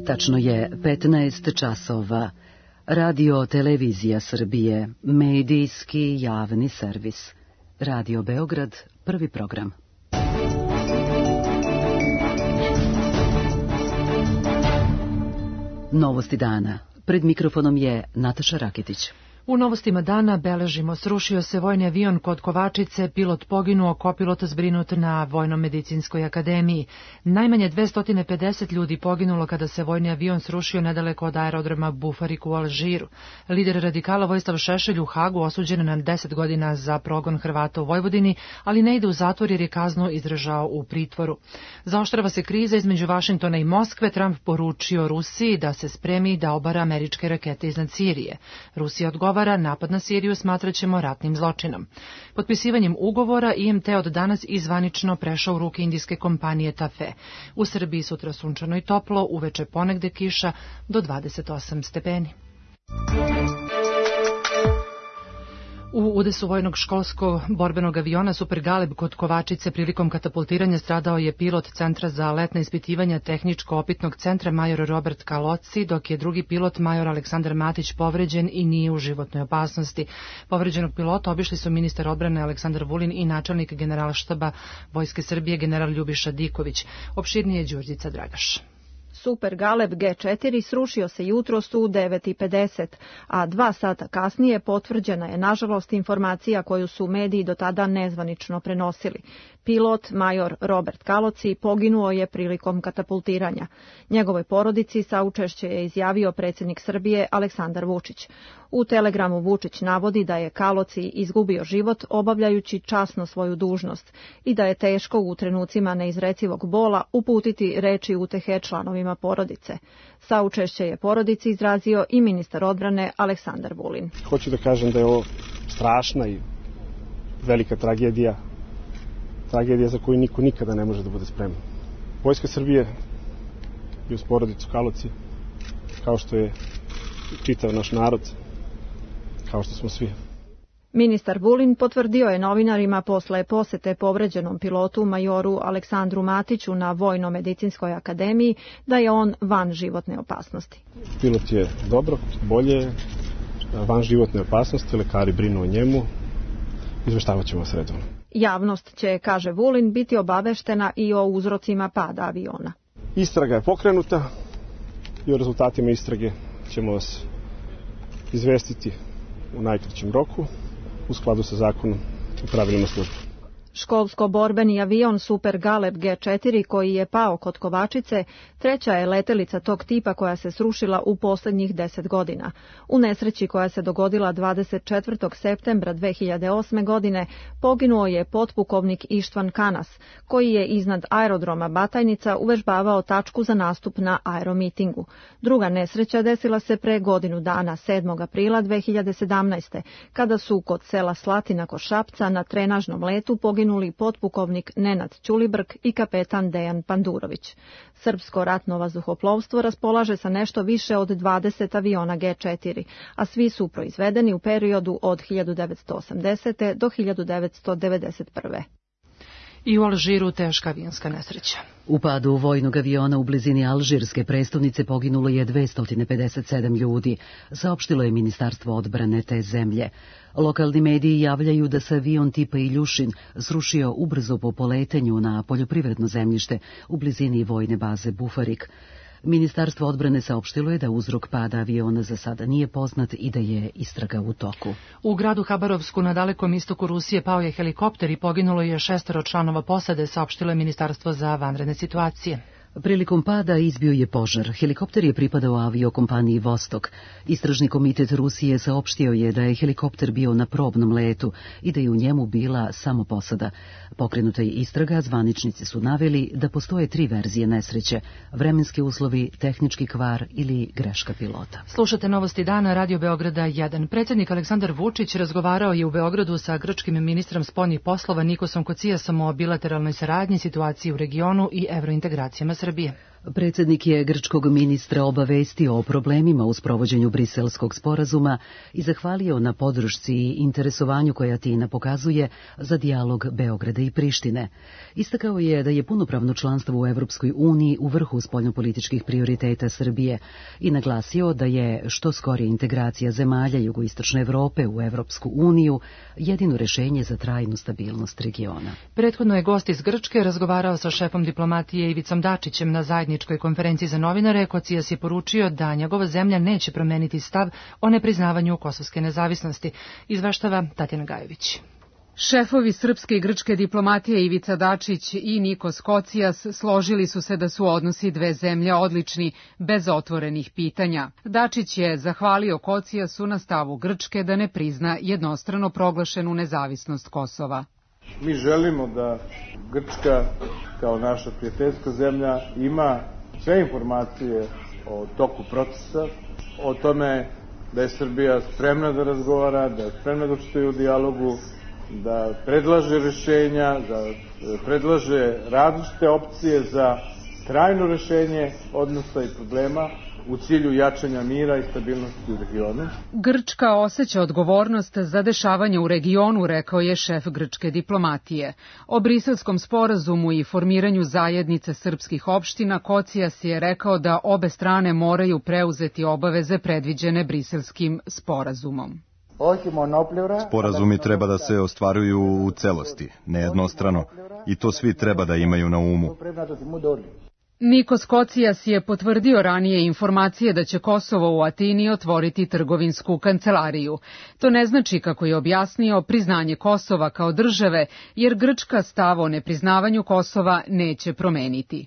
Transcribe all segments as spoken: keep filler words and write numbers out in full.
Tačno je petnaest časova. Radio Televizija Srbije, medijski javni servis. Radio Beograd, prvi program. Novosti dana. Pred mikrofonom je Nataša Raketić. U novostima dana beležimo: srušio se vojni avion kod Kovačice, pilot poginuo, kopilot zbrinut na Vojno-medicinskoj akademiji. Najmanje dvesta pedeset ljudi poginulo kada se vojni avion srušio nedaleko od aerodroma Bufarik u Alžiru. Lider radikala Vojislav Šešelj u Hagu osuđen na deset godina za progon Hrvata u Vojvodini, ali ne ide u zatvor jer je kaznu izdržao u pritvoru. Zaoštrava se kriza između Vašingtona i Moskve. Trump poručio Rusiji da se spremi da obara američke rakete iznad Sirije. Rusija odgovara: napad na Siriju smatraćemo ratnim zločinom. Potpisivanjem ugovora I M T od danas izvanično prešao u ruke indijske kompanije Tafe. U Srbiji sutra sunčano i toplo, uveče ponegde kiša do dvadeset osam stepeni. U udesu vojnog školskog borbenog aviona Super Galeb kod Kovačice prilikom katapultiranja stradao je pilot Centra za letna ispitivanja tehničko-opitnog centra major Robert Kaloci, dok je drugi pilot major Aleksandar Matić povređen i nije u životnoj opasnosti. Povređenog pilota obišli su ministar odbrane Aleksandar Vulin i načelnik generalštaba Vojske Srbije general Ljubiša Diković. Opširnije Đurđica Dragaš. Super Galeb G četiri srušio se jutros u devet i pedeset, a dva sata kasnije potvrđena je, nažalost, informacija koju su mediji do tada nezvanično prenosili. Pilot, major Robert Kaloci, poginuo je prilikom katapultiranja. Njegovoj porodici saučešće je izjavio predsjednik Srbije Aleksandar Vučić. U telegramu Vučić navodi da je Kaloci izgubio život obavljajući časno svoju dužnost i da je teško u trenucima neizrecivog bola uputiti reči utehe članovima porodice. Saučešće je porodici izrazio i ministar odbrane Aleksandar Vulin. Hoću da kažem da je ovo strašna i velika tragedija, tragedija za koju niko nikada ne može da bude spreman. Vojska Srbije i uz porodicu Kaloci, kao što je čitav naš narod, kao što smo svi. Ministar Vulin potvrdio je novinarima posle posete povređenom pilotu majoru Aleksandru Matiću na Vojno-medicinskoj akademiji da je on van životne opasnosti. Pilot je dobro, bolje, van životne opasnosti, lekari brinu o njemu, izveštavat ćemo se redovno. Javnost će, kaže Vulin, biti obaveštena i o uzrocima pada aviona. Istraga je pokrenuta i o rezultatima istrage ćemo vas izvestiti u najkraćem roku u skladu sa zakonom i pravilima službe. Školsko-borbeni avion Super Galeb G četiri koji je pao kod Kovačice treća je letelica tog tipa koja se srušila u posljednjih deset godina. U nesreći koja se dogodila dvadeset četvrtog septembra dve hiljade osme. godine poginuo je potpukovnik Ištvan Kanas, koji je iznad aerodroma Batajnica uvežbavao tačku za nastup na aeromitingu. Druga nesreća desila se pre godinu dana, sedmog aprila dve hiljade sedamnaeste. kada su kod sela Slatina kod Šapca na trenažnom letu poginuli Poginuli potpukovnik Nenad Ćulibrk i kapetan Dejan Pandurović. Srpsko ratno vazduhoplovstvo raspolaže sa nešto više od dvadeset aviona G četiri, a svi su proizvedeni u periodu od hiljadu devetsto osamdesete. do hiljadu devetsto devedeset prve. I u Alžiru teška avionska nesreća. U padu vojnog aviona u blizini alžirske prestonice poginulo je dvesta pedeset sedam ljudi, saopštilo je Ministarstvo odbrane te zemlje. Lokalni mediji javljaju da se avion tipa Iljušin srušio ubrzo po poletanju na poljoprivredno zemljište u blizini vojne baze Bufarik. Ministarstvo odbrane saopštilo je da uzrok pada aviona za sada nije poznat i da je istraga u toku. U gradu Habarovsku na dalekom istoku Rusije pao je helikopter i poginulo je šestoro članova posade, saopštilo je Ministarstvo za vanredne situacije. Prilikom pada izbio je požar. Helikopter je pripadao aviokompaniji Vostok. Istražni komitet Rusije saopštio je da je helikopter bio na probnom letu i da je u njemu bila samo posada. Pokrenuta je istraga, zvaničnici su naveli da postoje tri verzije nesreće: vremenski uslovi, tehnički kvar ili greška pilota. Slušate Novosti dana, Radio Beograda jedan. Predsjednik Aleksandar Vučić razgovarao je u Beogradu sa grčkim ministrom spoljnih poslova Nikosom Kocijasom o bilateralnoj saradnji, situaciji u regionu i evrointegracijama Srbije. Predsjednik je grčkog ministra obavestio o problemima u sprovođenju Briselskog sporazuma i zahvalio na podršci i interesovanju koja Atina pokazuje za dijalog Beograda i Prištine. Istakao je da je punopravno članstvo u Evropskoj uniji u vrhu spoljnopolitičkih prioriteta Srbije i naglasio da je što skorija integracija zemalja jugoistočne Evrope u Evropsku uniju jedino rešenje za trajnu stabilnost regiona. Prethodno je gost iz Grčke razgovarao sa šefom diplomatije Ivicom Dačićem na zajedničkoj konferenciji za novinare. Kocijas je poručio da njegova zemlja neće promeniti stav o nepriznavanju kosovske nezavisnosti. Izveštava Tatjana Gajević. Šefovi srpske i grčke diplomatije Ivica Dačić i Nikos Kocijas složili su se da su odnosi dve zemlje odlični, bez otvorenih pitanja. Dačić je zahvalio Kocijasu na stavu Grčke da ne prizna jednostrano proglašenu nezavisnost Kosova. Mi želimo da Grčka, kao naša prijateljska zemlja, ima sve informacije o toku procesa, o tome da je Srbija spremna da razgovara, da je spremna da učestvuje u dijalogu, da predlaže rešenja, da predlaže različite opcije za trajno rešenje odnosa i problema u cilju jačanja mira i stabilnosti u regionu. Grčka osjeća odgovornost za dešavanje u regionu, rekao je šef grčke diplomatije. O Briselskom sporazumu i formiranju zajednice srpskih opština Kocijas je rekao da obe strane moraju preuzeti obaveze predviđene Briselskim sporazumom. Sporazumi treba da se ostvaruju u celosti, nejednostrano, i to svi treba da imaju na umu. Nikos Kocijas je potvrdio ranije informacije da će Kosovo u Atini otvoriti trgovinsku kancelariju. To ne znači, kako je objasnio, priznanje Kosova kao države, jer Grčka stav o nepriznavanju Kosova neće promeniti.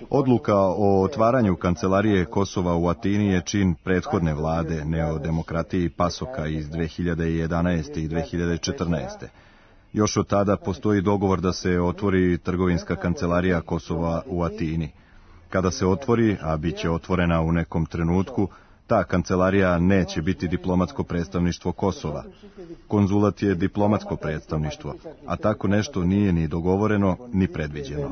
Odluka o otvaranju kancelarije Kosova u Atini je čin prethodne vlade neodemokratiji Pasoka iz dve hiljade jedanaeste. i dve hiljade četrnaeste. Još od tada postoji dogovor da se otvori trgovinska kancelarija Kosova u Atini. Kada se otvori, a bit će otvorena u nekom trenutku, ta kancelarija neće biti diplomatsko predstavništvo Kosova. Konzulat je diplomatsko predstavništvo, a tako nešto nije ni dogovoreno, ni predviđeno.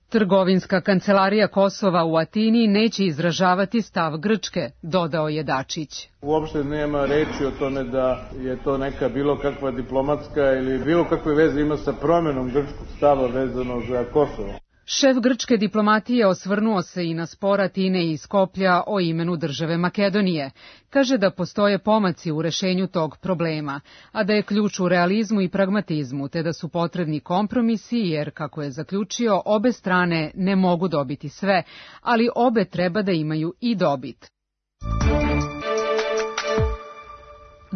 Trgovinska kancelarija Kosova u Atini neće izražavati stav Grčke, dodao je Dačić. Uopšte nema reči o tome da je to neka bilo kakva diplomatska ili bilo kakve veze ima sa promenom grčkog stava vezano za Kosovo. Šef grčke diplomatije osvrnuo se i na spor Atine i Skoplja o imenu države Makedonije. Kaže da postoje pomaci u rešenju tog problema, a da je ključ u realizmu i pragmatizmu, te da su potrebni kompromisi, jer, kako je zaključio, obe strane ne mogu dobiti sve, ali obe treba da imaju i dobit.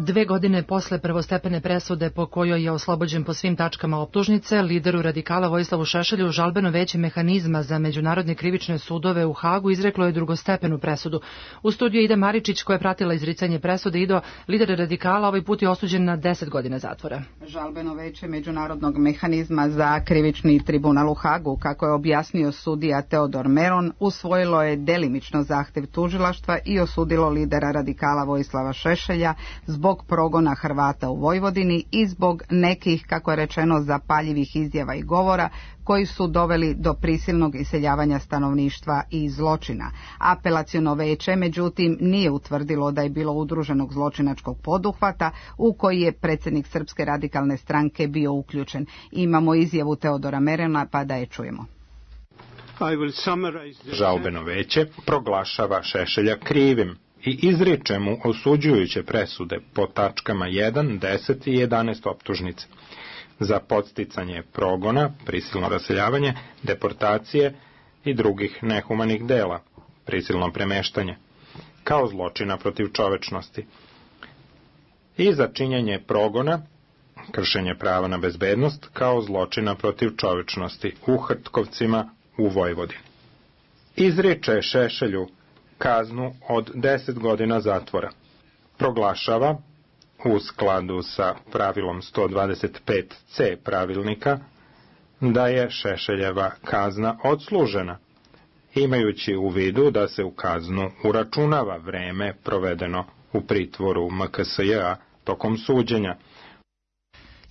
Dve godine posle prvostepene presude po kojoj je oslobođen po svim tačkama optužnice, lideru radikala Vojislavu Šešelju žalbeno veće mehanizma za međunarodne krivične sudove u Hagu izreklo je drugostepenu presudu. U studiju Ida Maričić, koja je pratila izricanje presude. Ido, lider radikala ovaj put je osuđen na deset godina zatvora. Žalbeno veće međunarodnog mehanizma za krivični tribunal u Hagu, kako je objasnio sudija Teodor Meron, usvojilo je delimično zahtev tužilaštva i osudilo lidera radikala Vojislava Šešelja zbog zbog progona Hrvata u Vojvodini i zbog nekih, kako je rečeno, zapaljivih izjava i govora koji su doveli do prisilnog iseljavanja stanovništva i zločina. Apelaciono veće, međutim, nije utvrdilo da je bilo udruženog zločinačkog poduhvata u koji je predsjednik Srpske radikalne stranke bio uključen. Imamo izjavu Teodora Merena, pa da je čujemo. Žalbeno veće proglašava Šešelja krivim i izriče mu osuđujuće presude po tačkama jedan, deset i jedanaest optužnice za podsticanje progona, prisilno raseljavanje, deportacije i drugih nehumanih dela, prisilno premeštanje, kao zločina protiv čovečnosti, i za činjenje progona, kršenje prava na bezbednost, kao zločina protiv čovečnosti u Hrtkovcima u Vojvodini. Izriče Šešelju kaznu od deset godina zatvora. Proglašava, u skladu sa pravilom sto dvadeset pet ce pravilnika, da je Šešeljeva kazna odslužena, imajući u vidu da se u kaznu uračunava vreme provedeno u pritvoru M K S J-a tokom suđenja.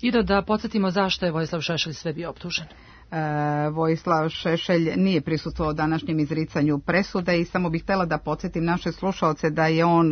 I da, da podsjetimo zašto je Vojislav Šešelj sve bio optužen. Vojislav Šešelj nije prisustvovao današnjem izricanju presude i samo bih htjela da podsjetim naše slušaoce da je on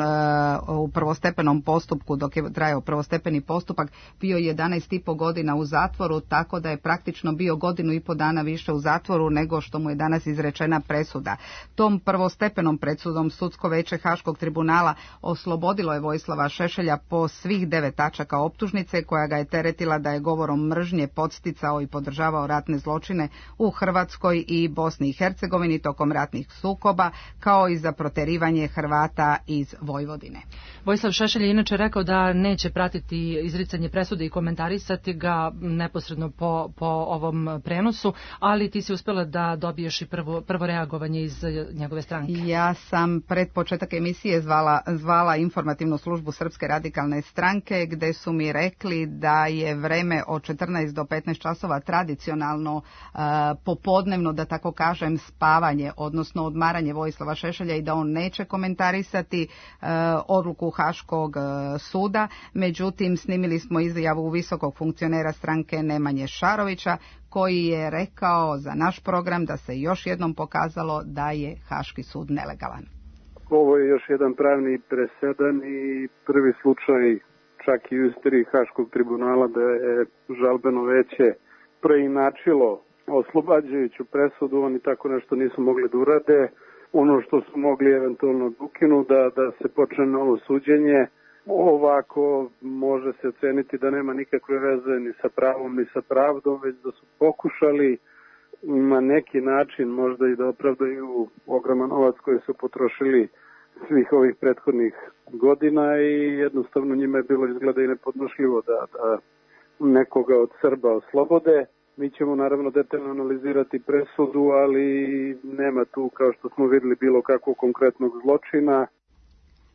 u prvostepenom postupku, dok je trajao prvostepeni postupak, bio jedanaest i po godina u zatvoru, tako da je praktično bio godinu i po dana više u zatvoru nego što mu je danas izrečena presuda. Tom prvostepenom presudom Sudsko veće Haškog tribunala oslobodilo je Vojislava Šešelja po svih devet tačaka optužnice koja ga je teretila da je govorom mržnje podsticao i podržavao ratne zločine u Hrvatskoj i Bosni i Hercegovini tokom ratnih sukoba, kao i za proterivanje Hrvata iz Vojvodine. Vojislav Šešelj je inače rekao da neće pratiti izricanje presude i komentarisati ga neposredno po, po ovom prenosu, ali ti si uspjela da dobiješ i prvo, prvo reagovanje iz njegove stranke. Ja sam pred početak emisije zvala, zvala informativnu službu Srpske radikalne stranke, gde su mi rekli da je vreme od četrnaest do petnaest časova tradicionalno uh, popodnevno, da tako kažem, spavanje, odnosno odmaranje Vojislava Šešelja i da on neće komentarisati uh, odluku Haškog uh, suda. Međutim, snimili smo izjavu visokog funkcionera stranke Nemanje Šarovića, koji je rekao za naš program da se još jednom pokazalo da je Haški sud nelegalan. Ovo je još jedan pravni presedan i prvi slučaj čak i u istoriji Haškog tribunala da je žalbeno veće preinačilo oslobađajuću presudu. Oni tako nešto nisu mogli da urade. Ono što su mogli eventualno ukinu da, da se počne novo suđenje. Ovako može se oceniti da nema nikakve veze ni sa pravom ni sa pravdom, već da su pokušali na neki način možda i da opravdaju ogroman novac koji su potrošili svih ovih prethodnih godina i jednostavno njima je bilo izgleda i nepodnošljivo da, da nekoga od Srba oslobode. Mi ćemo naravno detaljno analizirati presudu, ali nema tu, kao što smo vidjeli, bilo kakvog konkretnog zločina.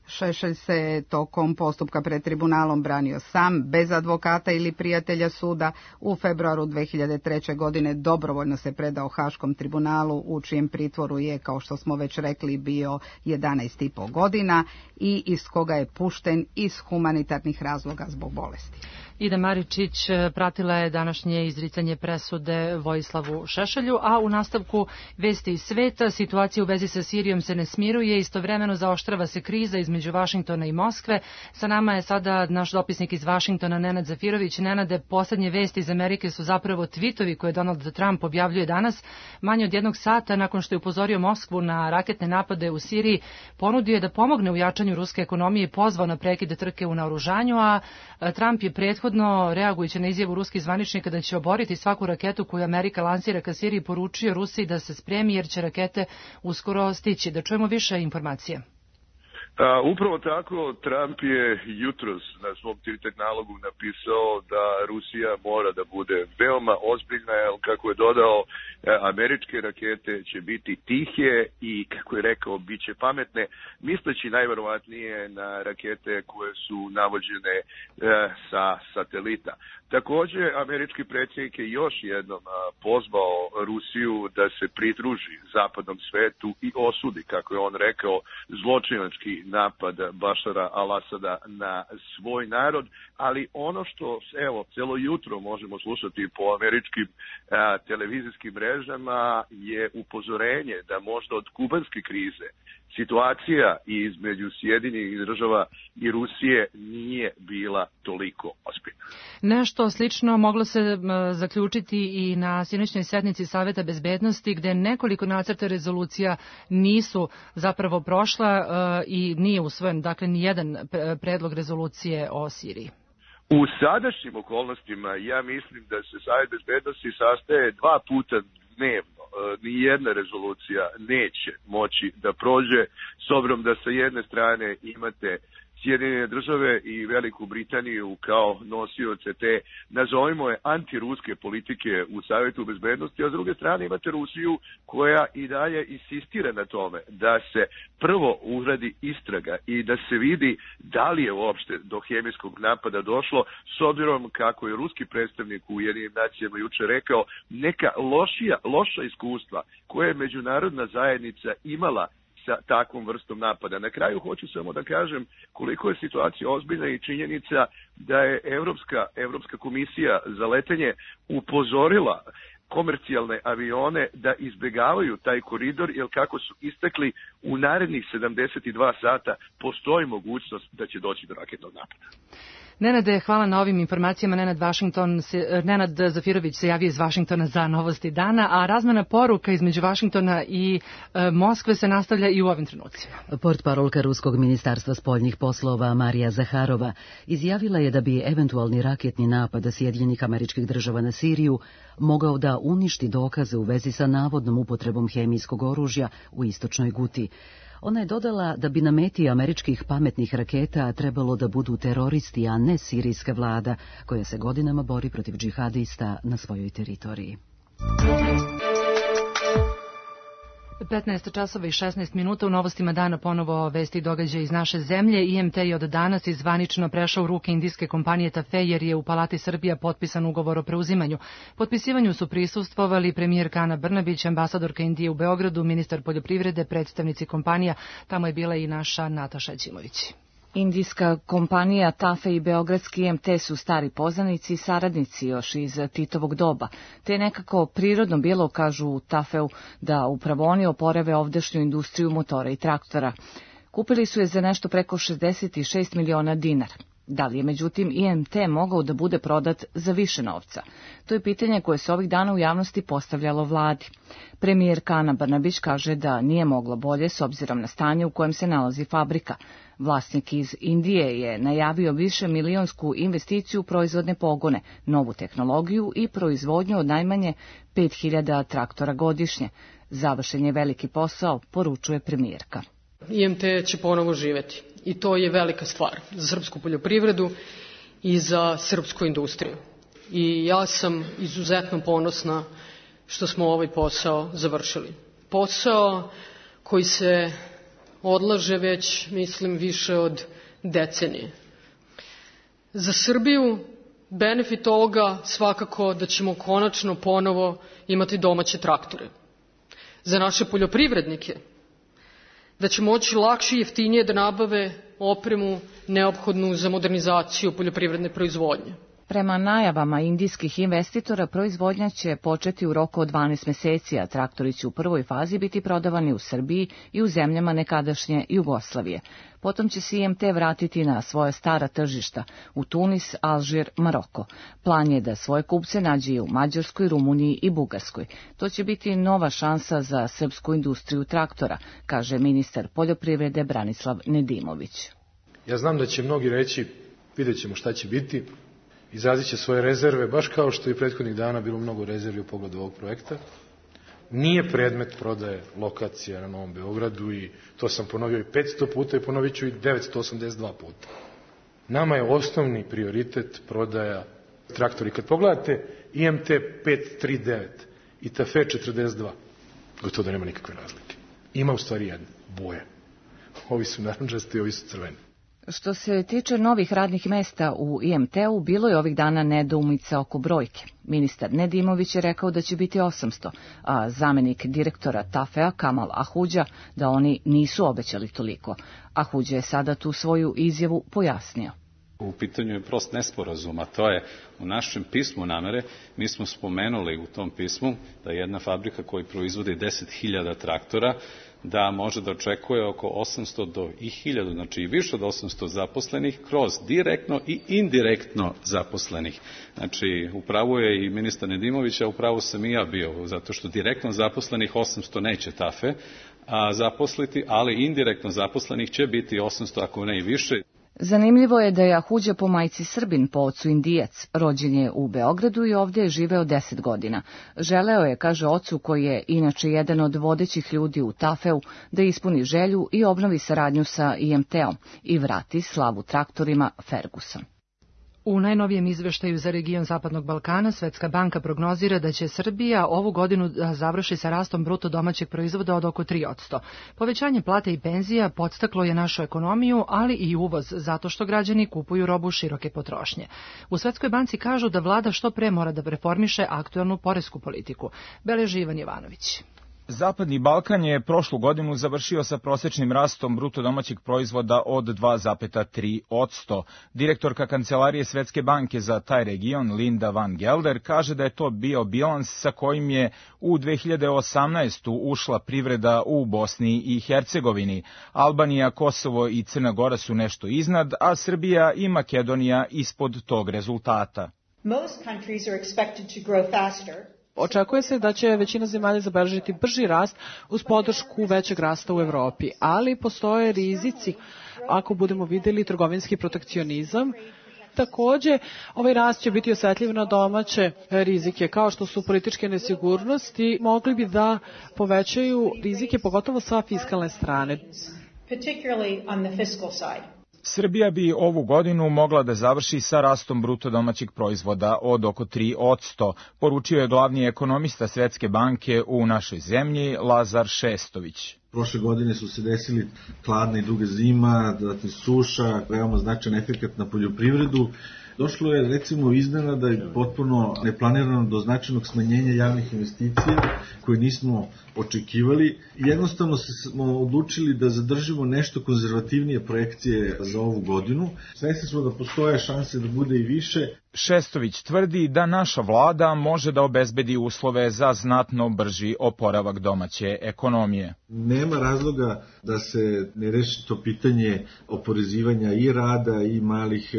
Šešelj se tokom postupka pred tribunalom branio sam, bez advokata ili prijatelja suda. U februaru dve hiljade treće. godine dobrovoljno se predao Haškom tribunalu, u čijem pritvoru je, kao što smo već rekli, bio jedanaest i po godina i iz koga je pušten iz humanitarnih razloga zbog bolesti. Ida Maričić pratila je današnje izricanje presude Vojislavu Šešelju, a u nastavku vesti iz sveta situacija u vezi sa Sirijom se ne smiruje, istovremeno zaoštrava se kriza između Vašingtona i Moskve. Sa nama je sada naš dopisnik iz Vašingtona, Nenad Zafirović. Nenade, poslednje vesti iz Amerike su zapravo tvitovi koje Donald Trump objavljuje danas. Manje od jednog sata nakon što je upozorio Moskvu na raketne napade u Siriji, ponudio je da pomogne u jačanju ruske ekonomije i pozvao na prekid trke u naoružanju, a Trump je prethodno reagujući na izjavu ruskih zvaničnika da će oboriti svaku raketu koju Amerika lansira ka Siriji, poručio Rusiji da se spremi jer će rakete uskoro stići. Da čujemo više informacija. A, upravo tako, Trump je jutros na svom Twitter nalogu napisao da Rusija mora da bude veoma ozbiljna, jer kako je dodao, američke rakete će biti tihe i, kako je rekao, bit će pametne, misleći najverovatnije na rakete koje su navođene e, sa satelita. Također, američki predsjednik je još jednom pozvao Rusiju da se pridruži zapadnom svetu i osudi, kako je on rekao, zločinački napad Bašara al-Asada na svoj narod, ali ono što, evo, celo jutro možemo slušati po američkim a, televizijskim mrežama je upozorenje da možda od kubanske krize situacija između Sjedinjenih država i Rusije nije bila toliko ozbiljna. Nešto slično moglo se zaključiti i na sinoćnoj sednici Saveta bezbednosti, gde nekoliko nacrta rezolucija nisu zapravo prošla i nije usvojen, dakle, ni jedan predlog rezolucije o Siriji. U sadašnjim okolnostima ja mislim da se Savet bezbednosti sastaje dva puta dnevno. Ni jedna rezolucija neće moći da prođe, s obzirom da sa jedne strane imate Sjedinjene države i Veliku Britaniju kao nosioce te, nazovimo je, antiruske politike u Savjetu bezbednosti, a s druge strane imate Rusiju koja i dalje insistira na tome da se prvo uradi istraga i da se vidi da li je uopšte do hemijskog napada došlo, s obzirom kako je ruski predstavnik u Ujedinjenim nacijama juče rekao, neka lošija, loša iskustva koje je međunarodna zajednica imala sa takvom vrstom napada. Na kraju hoću samo da kažem koliko je situacija ozbiljna i činjenica da je Evropska, Evropska komisija za letenje upozorila komercijalne avione da izbegavaju taj koridor, jer kako su istakli, u narednih sedamdeset dva sata postoji mogućnost da će doći do raketnog napada. Nenade, hvala na ovim informacijama. Nenad, Vašington se, Nenad Zafirović se javio iz Vašingtona za Novosti dana, a razmena poruka između Vašingtona i e, Moskve se nastavlja i u ovim trenucima. Portparolka Ruskog ministarstva spoljnih poslova Marija Zaharova izjavila je da bi eventualni raketni napad Sjedinjenih Američkih Država na Siriju mogao da uništi dokaze u vezi sa navodnom upotrebom hemijskog oružja u istočnoj Guti. Ona je dodala da bi na meti američkih pametnih raketa trebalo da budu teroristi, a ne sirijska vlada, koja se godinama bori protiv džihadista na svojoj teritoriji. petnaest časova i šesnaest minuta, u Novostima dana ponovo vesti i događaje iz naše zemlje. I M T je od danas izvanično prešao u ruke indijske kompanije Tafe, jer je u Palati Srbija potpisan ugovor o preuzimanju. Potpisivanju su prisustvovali premijerka Ana Brnabić, ambasadorka Indije u Beogradu, ministar poljoprivrede, predstavnici kompanija. Tamo je bila i naša Nataša Ćimović. Indijska kompanija Tafe i beogradski I M T su stari poznanici i saradnici još iz Titovog doba, te je nekako prirodno bilo, kažu u Tafeu, da upravo oni oporave ovdašnju industriju motora i traktora. Kupili su je za nešto preko šezdeset šest miliona dinara. Da li je međutim I M T mogao da bude prodat za više novca? To je pitanje koje se ovih dana u javnosti postavljalo vladi. Premijerka Ana Brnabić kaže da nije moglo bolje s obzirom na stanje u kojem se nalazi fabrika. Vlasnik iz Indije je najavio više milionsku investiciju u proizvodne pogone, novu tehnologiju i proizvodnju od najmanje pet hiljada traktora godišnje. Završen je veliki posao, poručuje premijerka. I M T će ponovo živeti i to je velika stvar za srpsku poljoprivredu i za srpsku industriju. I ja sam izuzetno ponosna što smo ovaj posao završili. Posao koji se odlaže već, mislim, više od decenije. Za Srbiju benefit ovoga svakako da ćemo konačno ponovo imati domaće traktore. Za naše poljoprivrednike da će moći lakše i jeftinije da nabave opremu neophodnu za modernizaciju poljoprivredne proizvodnje. Prema najavama indijskih investitora, proizvodnja će početi u roku od dvanaest meseci, a traktori će u prvoj fazi biti prodavani u Srbiji i u zemljama nekadašnje Jugoslavije. Potom će se I M T vratiti na svoje stara tržišta u Tunis, Alžir, Maroko. Plan je da svoje kupce nađe i u Mađarskoj, Rumuniji i Bugarskoj. To će biti nova šansa za srpsku industriju traktora, kaže ministar poljoprivrede Branislav Nedimović. Ja znam da će mnogi reći, vidjet ćemo šta će biti, izrazit će svoje rezerve, baš kao što i prethodnih dana bilo mnogo rezervi u pogledu ovog projekta. Nije predmet prodaje lokacija na Novom Beogradu i to sam ponovio i petsto puta i ponovit ću i devetsto osamdeset dva puta. Nama je osnovni prioritet prodaja traktora. I kad pogledate I M T pet trideset devet i Tafe četrdeset dva, gotovo da nema nikakve razlike. Ima u stvari jedna, boje. Ovi su narančasti, ovi su crveni. Što se tiče novih radnih mesta u I M T-u, bilo je ovih dana nedoumica oko brojke. Ministar Nedimović je rekao da će biti osamsto, a zamenik direktora Tafea Kamal Ahuđa da oni nisu obećali toliko. Ahuđa je sada tu svoju izjavu pojasnio. U pitanju je prost nesporazum, a to je u našem pismu namere, mi smo spomenuli u tom pismu da jedna fabrika koja proizvodi deset hiljada traktora, da može da očekuje oko osamsto do hiljadu, znači i više od osamsto zaposlenih, kroz direktno i indirektno zaposlenih. Znači, upravo je i ministar Nedimović, a upravo sam i ja bio, zato što direktno zaposlenih osamsto neće Tafe a, zaposliti, ali indirektno zaposlenih će biti osamsto, ako ne i više. Zanimljivo je da je Ahuđa po majci Srbin, po ocu Indijac. Rođen je u Beogradu i ovdje je živeo deset godina. Želeo je, kaže ocu, koji je inače jedan od vodećih ljudi u Tafeu, da ispuni želju i obnovi saradnju sa I M T-om i vrati slavu traktorima Ferguson. U najnovijem izveštaju za region Zapadnog Balkana Svetska banka prognozira da će Srbija ovu godinu da završi sa rastom bruto domaćeg proizvoda od oko tri posto. Povećanje plate i penzija podstaklo je našu ekonomiju, ali i uvoz, zato što građani kupuju robu široke potrošnje. U Svetskoj banci kažu da vlada što pre mora da reformiše aktuelnu poresku politiku. Beleži Ivan Jovanović. Zapadni Balkan je prošlu godinu završio sa prosečnim rastom bruto domaćeg proizvoda od dva zarez tri posto. Direktorka Kancelarije Svetske banke za taj region, Linda Van Gelder, kaže da je to bio bilans sa kojim je u dve hiljade osamnaestoj. ušla privreda u Bosni i Hercegovini. Albanija, Kosovo i Crna Gora su nešto iznad, a Srbija i Makedonija ispod tog rezultata. Most countries are expected to grow faster. Očekuje se da će većina zemalja zabeležiti brži rast uz podršku većeg rasta u Evropi, ali postoje rizici ako budemo videli trgovinski protekcionizam. Takođe, ovaj rast će biti osetljiv na domaće rizike, kao što su političke nesigurnosti, mogli bi da povećaju rizike, pogotovo sa fiskalne strane. Particularly on the fiscal side. Srbija bi ovu godinu mogla da završi sa rastom bruto domaćeg proizvoda od oko tri posto, poručio je glavni ekonomista Svetske banke u našoj zemlji, Lazar Šestović. Prošle godine su se desili hladna i duga zima, zatim suša, veoma značajan efekat na poljoprivredu. Došlo je recimo iznenada i potpuno neplanirano do značajnog smanjenja javnih investicija koje nismo očekivali. Jednostavno smo odlučili da zadržimo nešto konzervativnije projekcije za ovu godinu. Svesni smo da postoje šanse da bude i više. Šestović tvrdi da naša vlada može da obezbedi uslove za znatno brži oporavak domaće ekonomije. Nema razloga da se ne reši to pitanje oporezivanja i rada i malih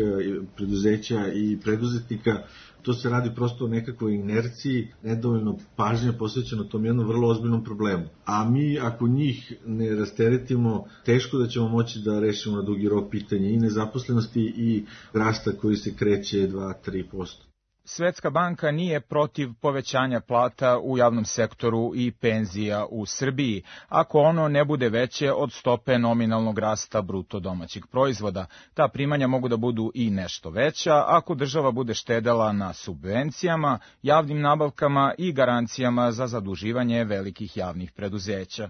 preduzeća i preduzetnika. To se radi prosto o nekakvoj inerciji, nedovoljno pažnje posvećeno tom jednom vrlo ozbiljnom problemu. A mi, ako njih ne rasteretimo, teško da ćemo moći da rešimo na dugi rok pitanje i nezaposlenosti i rasta koji se kreće dva do tri posto. Svetska banka nije protiv povećanja plata u javnom sektoru i penzija u Srbiji, ako ono ne bude veće od stope nominalnog rasta bruto domaćeg proizvoda. Ta primanja mogu da budu i nešto veća ako država bude štedela na subvencijama, javnim nabavkama i garancijama za zaduživanje velikih javnih preduzeća.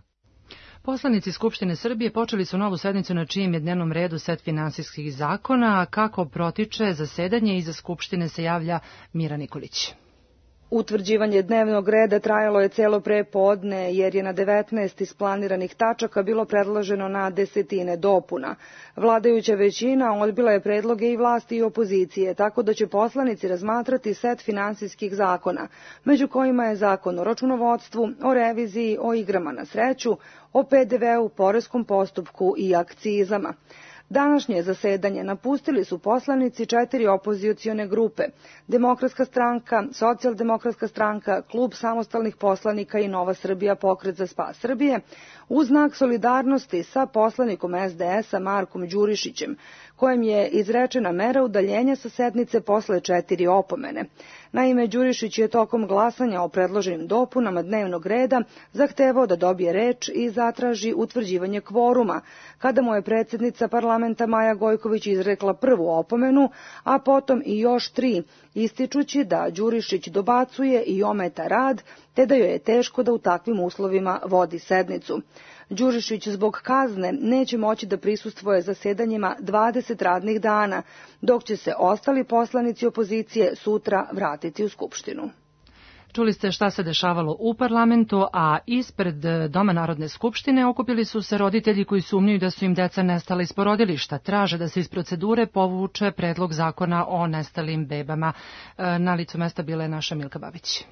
Poslanici Skupštine Srbije počeli su novu sednicu na čijem je dnevnom redu set finansijskih zakona, a kako protiče zasedanje iza Skupštine se javlja Mira Nikolić. Utvrđivanje dnevnog reda trajalo je celo prepodne, jer je na devetnaest isplaniranih tačaka bilo predloženo na desetine dopuna. Vladajuća većina odbila je predloge i vlasti i opozicije, tako da će poslanici razmatrati set finansijskih zakona, među kojima je zakon o računovodstvu, o reviziji, o igrama na sreću, o pe de veu, poreskom postupku i akcizama. Današnje zasedanje napustili su poslanici četiri opozicione grupe: Demokratska stranka, Socijaldemokratska stranka, Klub samostalnih poslanika i Nova Srbija pokret za spas Srbije, u znak solidarnosti sa poslanikom es de es a Markom Đurišićem, kojem je izrečena mera udaljenja sa sednice posle četiri opomene. Naime, Đurišić je tokom glasanja o predloženim dopunama dnevnog reda zahtevao da dobije reč i zatraži utvrđivanje kvoruma, kada mu je predsjednica parlamenta Maja Gojković izrekla prvu opomenu, a potom i još tri, ističući da Đurišić dobacuje i ometa rad, te da joj je teško da u takvim uslovima vodi sednicu. Đurišić zbog kazne neće moći da prisustvuje zasedanjima dvadeset radnih dana, dok će se ostali poslanici opozicije sutra vratiti u Skupštinu. Čuli ste šta se dešavalo u parlamentu, a ispred Doma Narodne skupštine okupili su se roditelji koji sumnjuju da su im deca nestala iz porodilišta. Traže da se iz procedure povuče predlog zakona o nestalim bebama. Na licu mesta bila je naša Milka Babić.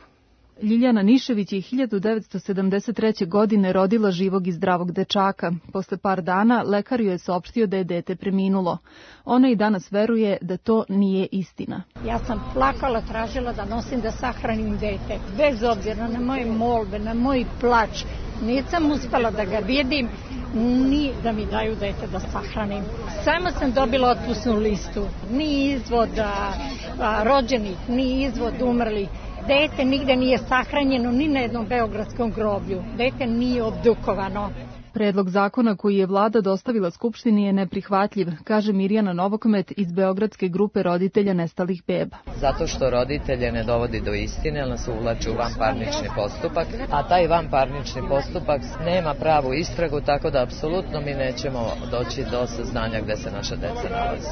Ljiljana Nišević je hiljadu devetsto sedamdeset treće. godine rodila živog i zdravog dečaka. Posle par dana lekar joj je saopštio da je dete preminulo. Ona i danas veruje da to nije istina. Ja sam plakala, tražila da nosim da sahranim dete. Bez obzira na moje molbe, na moj plač, nisam uspela da ga vidim, ni da mi daju dete da sahranim. Samo sam dobila otpusnu listu. Ni izvoda rođenih, ni izvod umrlih. Dete nigde nije sahranjeno ni na jednom beogradskom groblju. Dete nije obdukovano. Predlog zakona koji je vlada dostavila Skupštini je neprihvatljiv, kaže Mirjana Novokmet iz Beogradske grupe roditelja nestalih beba. Zato što roditelje ne dovodi do istine, ali nas uvlači u vanparnični postupak, a taj vanparnični postupak nema pravu istragu, tako da apsolutno mi nećemo doći do saznanja gde se naša deca nalaze.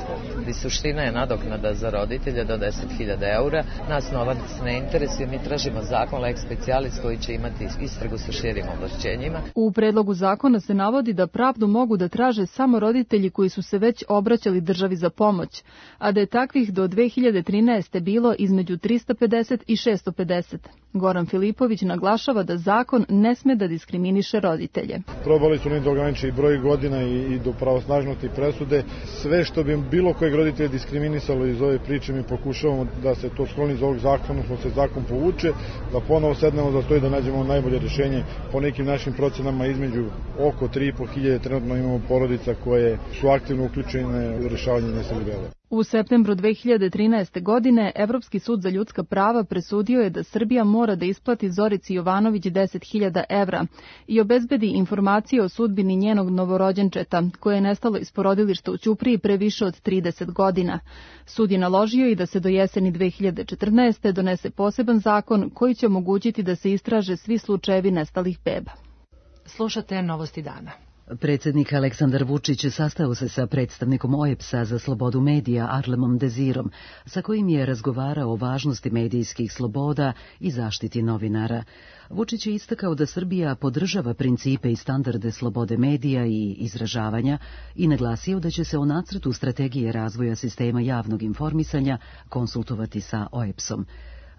I suština je nadoknada za roditelje do deset hiljada eura. Nas novac ne interesuje, mi tražimo zakon lex specialis koji će imati istragu sa širim ovlašćenjima. U predlogu zakona se navodi da pravdu mogu da traže samo roditelji koji su se već obraćali državi za pomoć, a da je takvih do dve hiljade trinaeste. bilo između trista pedeset i šesto pedeset. Goran Filipović naglašava da zakon ne sme da diskriminiše roditelje. Probali su oni da ograniče i broj godina i, i do pravosnažnosti presude. Sve što bi bilo kojeg roditelja diskriminisalo iz ove priče, mi pokušavamo da se to skloni iz ovog zakona, smo se zakon povuče, da ponovo sednemo za to i da nađemo najbolje rješenje. Po nekim našim procenama između oko tri i po hiljade trenutno imamo porodica koje su aktivno uključene u rješavanje nestalih beba. U septembru dve hiljade trinaeste. godine Evropski sud za ljudska prava presudio je da Srbija mora da isplati Zorici Jovanović deset hiljada evra i obezbedi informacije o sudbini njenog novorođenčeta, koje je nestalo iz porodilišta u Ćupriji pre više od trideset godina. Sud je naložio i da se do jeseni dve hiljade četrnaeste. donese poseban zakon koji će omogućiti da se istraže svi slučajevi nestalih beba. Slušate Novosti dana. Predsjednik Aleksandar Vučić sastao se sa predstavnikom O E B S-a za slobodu medija Arlemom Dezirom, sa kojim je razgovarao o važnosti medijskih sloboda i zaštiti novinara. Vučić je istakao da Srbija podržava principe i standarde slobode medija i izražavanja i naglasio da će se o nacrtu strategije razvoja sistema javnog informisanja konsultovati sa O E B S-om.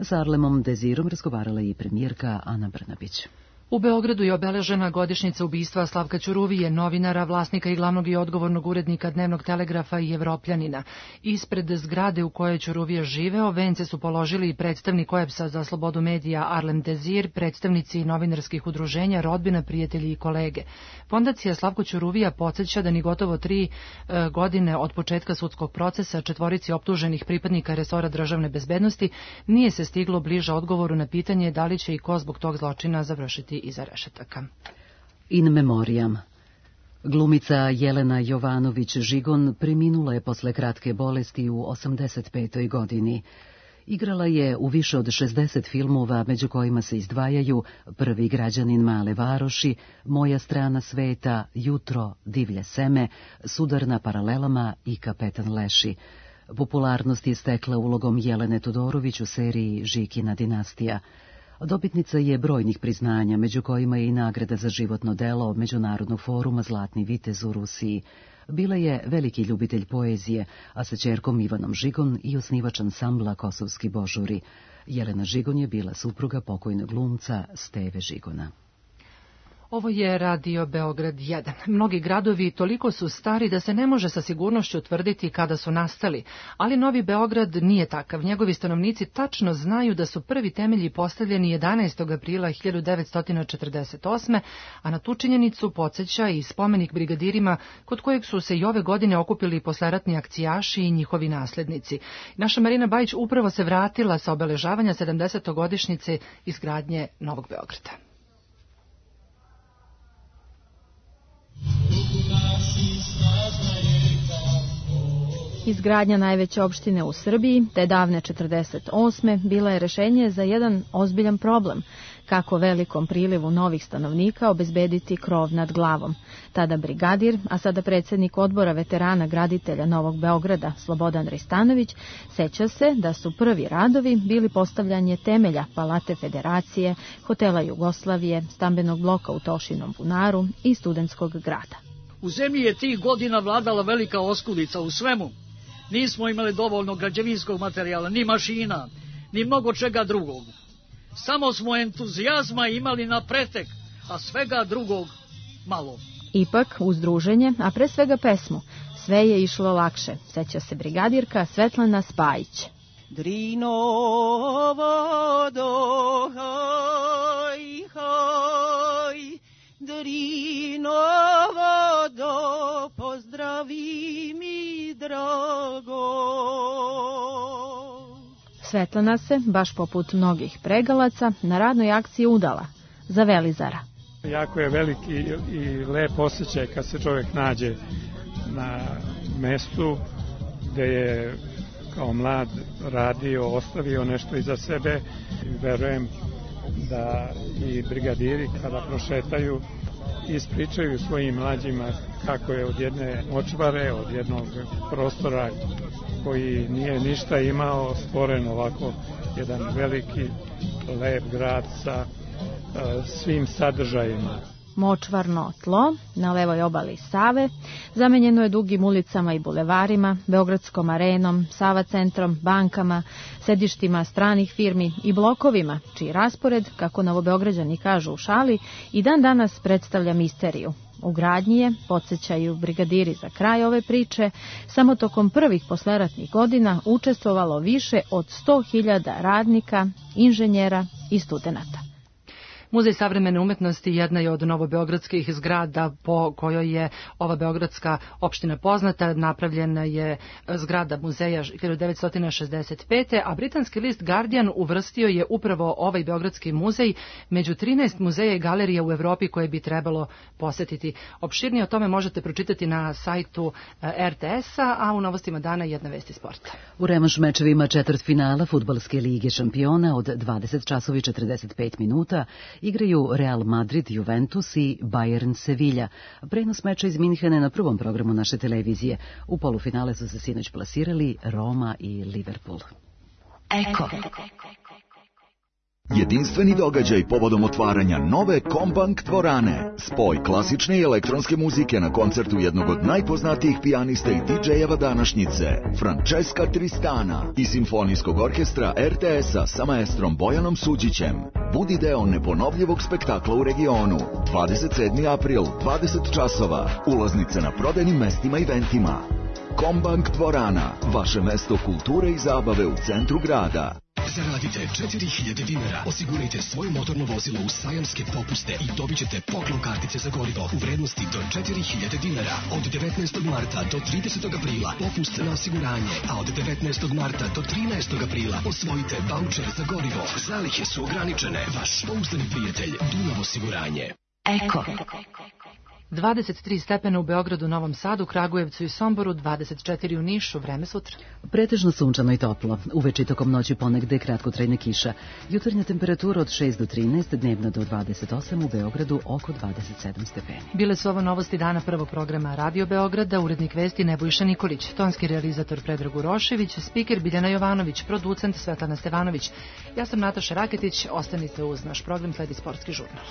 Sa Arlemom Dezirom razgovarala i premijerka Ana Brnabić. U Beogradu je obeležena godišnjica ubistva Slavka Ćuruvije, novinara, vlasnika i glavnog i odgovornog urednika Dnevnog telegrafa i Evropljanina. Ispred zgrade u kojoj je Ćuruvija živeo, vence su položili i predstavnik O E B S-a za slobodu medija Arlem Dezir, predstavnici novinarskih udruženja, rodbina, prijatelji i kolege. Fondacija Slavko Ćuruvija podsjeća da ni gotovo tri e, godine od početka sudskog procesa četvorici optuženih pripadnika resora državne bezbednosti nije se stiglo bliže odgovoru na pitanje da li će i ko zbog tog zločina završiti iza rešetaka. In memoriam. Glumica Jelena Jovanović-Žigon preminula je posle kratke bolesti u osamdeset petoj. godini. Igrala je u više od šezdeset filmova, među kojima se izdvajaju Prvi građanin male varoši, Moja strana sveta, Jutro, Divlje seme, Sudar na paralelama i Kapetan Leši. Popularnost je stekla ulogom Jelene Todorović u seriji Žikina dinastija. Dobitnica je brojnih priznanja, među kojima je i nagrada za životno delo Međunarodnog foruma Zlatni vitez u Rusiji. Bila je veliki ljubitelj poezije, a sa ćerkom Ivanom Žigon i osnivač ansambla Kosovski božuri. Jelena Žigon je bila supruga pokojnog glumca Steve Žigona. Ovo je Radio Beograd jedan. Mnogi gradovi toliko su stari da se ne može sa sigurnošću utvrditi kada su nastali, ali Novi Beograd nije takav. Njegovi stanovnici tačno znaju da su prvi temelji postavljeni jedanaestog aprila hiljadu devetsto četrdeset osme. a na tu činjenicu podsjeća i spomenik brigadirima kod kojeg su se i ove godine okupili posleratni akcijaši i njihovi naslednici. Naša Marina Bajić upravo se vratila sa obeležavanja sedamdesetogodišnjice izgradnje Novog Beograda. Izgradnja najveće opštine u Srbiji, te davne četrdeset osme. bila je rešenje za jedan ozbiljan problem, kako velikom prilivu novih stanovnika obezbediti krov nad glavom. Tada brigadir, a sada predsjednik odbora veterana graditelja Novog Beograda, Slobodan Ristanović, seća se da su prvi radovi bili postavljanje temelja Palate Federacije, hotela Jugoslavije, stambenog bloka u Tošinom bunaru i studentskog grada. U zemlji je tih godina vladala velika oskudica u svemu. Nismo imali dovoljno građevinskog materijala, ni mašina, ni mnogo čega drugog. Samo smo entuzijazma imali na pretek, a svega drugog malo. Ipak, uz druženje, a pre svega pesmu, sve je išlo lakše, seća se brigadirka Svetlana Spajić. Drinovodo, hoj, hoj, Drinovodo, pozdravi mi drago. Svetlana se, baš poput mnogih pregalaca, na radnoj akciji udala za Velizara. Jako je veliki i lep osjećaj kad se čovjek nađe na mestu gde je kao mlad radio, ostavio nešto iza sebe. Verujem da i brigadiri kada prošetaju ispričaju svojim mlađima kako je od jedne močvare, od jednog prostora koji nije ništa imao, stvoren ovako jedan veliki, lep grad sa uh, svim sadržajima. Močvarno tlo na levoj obali Save zamenjeno je dugim ulicama i bulevarima, Beogradskom arenom, Sava centrom, bankama, sedištima stranih firmi i blokovima, čiji raspored, kako Novobeograđani kažu u šali, i dan danas predstavlja misteriju. U gradnji je, podsjećaju brigadiri za kraj ove priče, samo tokom prvih posleratnih godina učestvovalo više od sto hiljada radnika, inženjera i studenata. Muzej savremene umetnosti jedna je od novobeogradskih zgrada po kojoj je ova beogradska opština poznata. Napravljena je zgrada muzeja hiljadu devetsto šezdeset pete. a britanski list Guardian uvrstio je upravo ovaj beogradski muzej među trinaest muzeja i galerija u Evropi koje bi trebalo posetiti. Opširnije o tome možete pročitati na sajtu er te es-a, a u novostima dana jedna vest iz sporta. U revanš mečevima četvrtfinala Fudbalske lige šampiona od dvadeset časova i četrdeset pet minuta igraju Real Madrid, Juventus i Bayern Sevilla. Prenos meča iz Minhena na prvom programu naše televizije. U polufinale su se sinoć plasirali Roma i Liverpool. Eko. Jedinstveni događaj povodom otvaranja nove Kombank dvorane. Spoj klasične i elektronske muzike na koncertu jednog od najpoznatijih pijanista i didžejeva današnjice, Francesca Tristana, i simfonijskog orkestra er te es-a sa maestrom Bojanom Suđićem. Budi deo neponovljivog spektakla u regionu. dvadeset sedmi april, dvadeset časova. Ulaznice na prodajnim mestima i eventima. Kombank dvorana, vaše mesto kulture i zabave u centru grada. Zaradite četiri hiljade dinara, osigurajte svoje motorno vozilo u sajamske popuste i dobit ćete poklon kartice za gorivo u vrednosti do četiri hiljade dinara. Od devetnaestog marta do tridesetog aprila popust na osiguranje, a od devetnaestog marta do trinaestog aprila osvojite vaučer za gorivo. Zalihe su ograničene. Vaš pouzdani prijatelj Dunav osiguranje. Eko. dvadeset tri stepena u Beogradu, Novom Sadu, Kragujevcu i Somboru, dvadeset četiri u Nišu. Vreme sutra. Pretežno sunčano i toplo. Uveče tokom noći ponegde kratkotrajna kiša. Jutarnja temperatura od šest do trinaest, dnevna do dvadeset osam, u Beogradu oko dvadeset sedam stepeni. Bile su ovo novosti dana prvog programa Radio Beograda, urednik vesti Nebojša Nikolić, tonski realizator Predrag Urošević, spiker Biljana Jovanović, producent Svetlana Stevanović. Ja sam Nataša Raketić, ostanite uz naš program, sledi sportski žurnal.